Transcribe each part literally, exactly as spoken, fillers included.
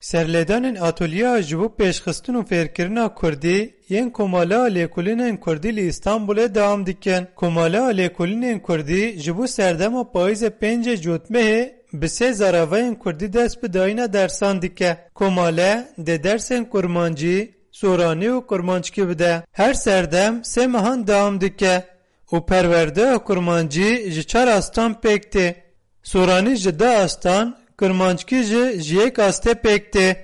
Serlêdanên atolyeya ji bo pêşxistin û fêrkirina kurdî yên Komaleya Lêkolînên Kurdî li Îstanbulê dewam dikin. Komaleya Lêkolînên Kurdî ji bo serdema payîzê pêncê Cotmehê bi sê zaravayên kurdî dest bi dayîna dersan dike. Komale dê dersên kurmancî, soranî û kurmanckî bide. Her serdem sê mehan dewam dike û perwerdeya kurmancî ji çar astan pêk tê. Soranî ji du astan, kurmanckî jî ji yek astê pêk tê.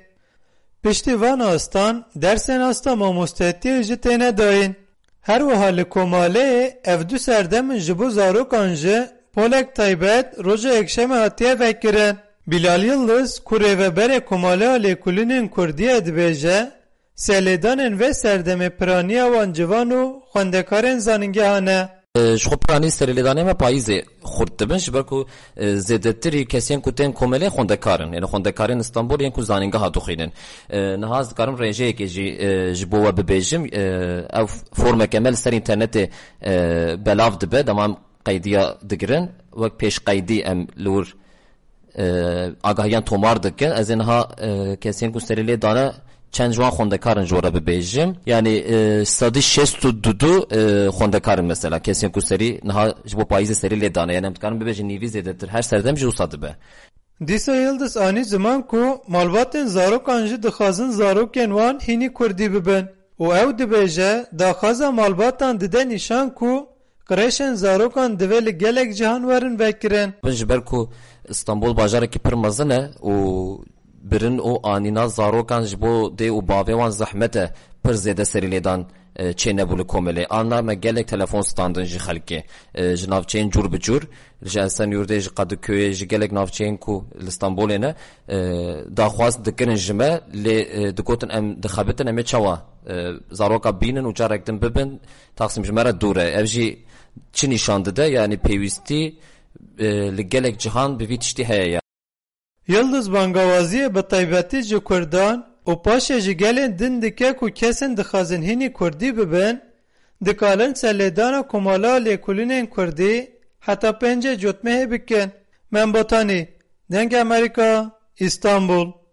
Piştî van astan dersên asta mamostetiyê jî têne dayîn. Her wiha li Komaleyê ev du serdem in ji bo zarokan jî polek taybet roja yekşemê hatiye vekirin. Bilal Yildiz ku rêveberê Komaleya Lêkolînên Kurdî ye dibêje, serlêdanên vê serdemê piraniya wan ciwan û xwendekarên zanîngehan e. E, ji xwe piranî serê lêdanê me payîzê xurt dibin, ji ber ku, e, zêdetirî kesên ku tên komelê xwendekar in. Yanî xwendekarên Stenbolê yên ku zanîngeha dixwînin. E, niha ez dikarim rêjeyekê jî, e, ji bo we bibêjim. E, ev formeke me li ser înternetê, e, belav dibe, dema em qeydiya digirin. Wek pêşqeydî em li wir e, agahiyan tomar dikin. Ez ê niha, e, kesên ku serê lê dane çend ji wan xwendekar in ji we re bibêjim. Yanî, e, sedî şêst û du, e, xwendekar in mesela. Kesên ku serî niha ji bo payîzê serê lê dane. Yanî em dikarin bibêjin nîvî zêdetir. Her serdem jî wisa dibe. Dîsa Yildiz anî ziman ku malbatên zarokan jî dixwazin zarokên wan hînî kurdî bibin. Û ew dibêje, daxwaza malbatan dide nîşan ku Qirêşên zarokan divê li gelek cihan werin vekirin. Bin ji ber ku Stenbol bajarekî pir mezin e û birin û anîna zarokan ji bo dê û bavê wan zehmet e, pir zêde serî lêdan, e, çênebû li komelê. Anna me gelek telefon standin ji xelkê, e, ji navçeyên cûr bi cûr, ji Esenyurdê, ji Qediköyê, ji gelek navçeyên ku li Stenbolê ne, e, daxwaz dikirin ji me, lê, e, digotin em dixebitin, em ê çawa, e, zaroka bînin û carek din bibin, Taksim ji me re dûr e. Ev jî çi nîşan dide? Yanî pêwîstî, e, li gelek cihan bi vî tiştî heye ya. Yildiz bangawaziyê bi taybetî ji kurdan û paşê ji gelên din dike ku kesên dixwazin hînî kurdî bibin, dikarin serlêdana Komala Lêkolînên Kurdî heta pêncê Cotmehê bikin. Mem Botanî, Dengê Amerîka, Îstanbul.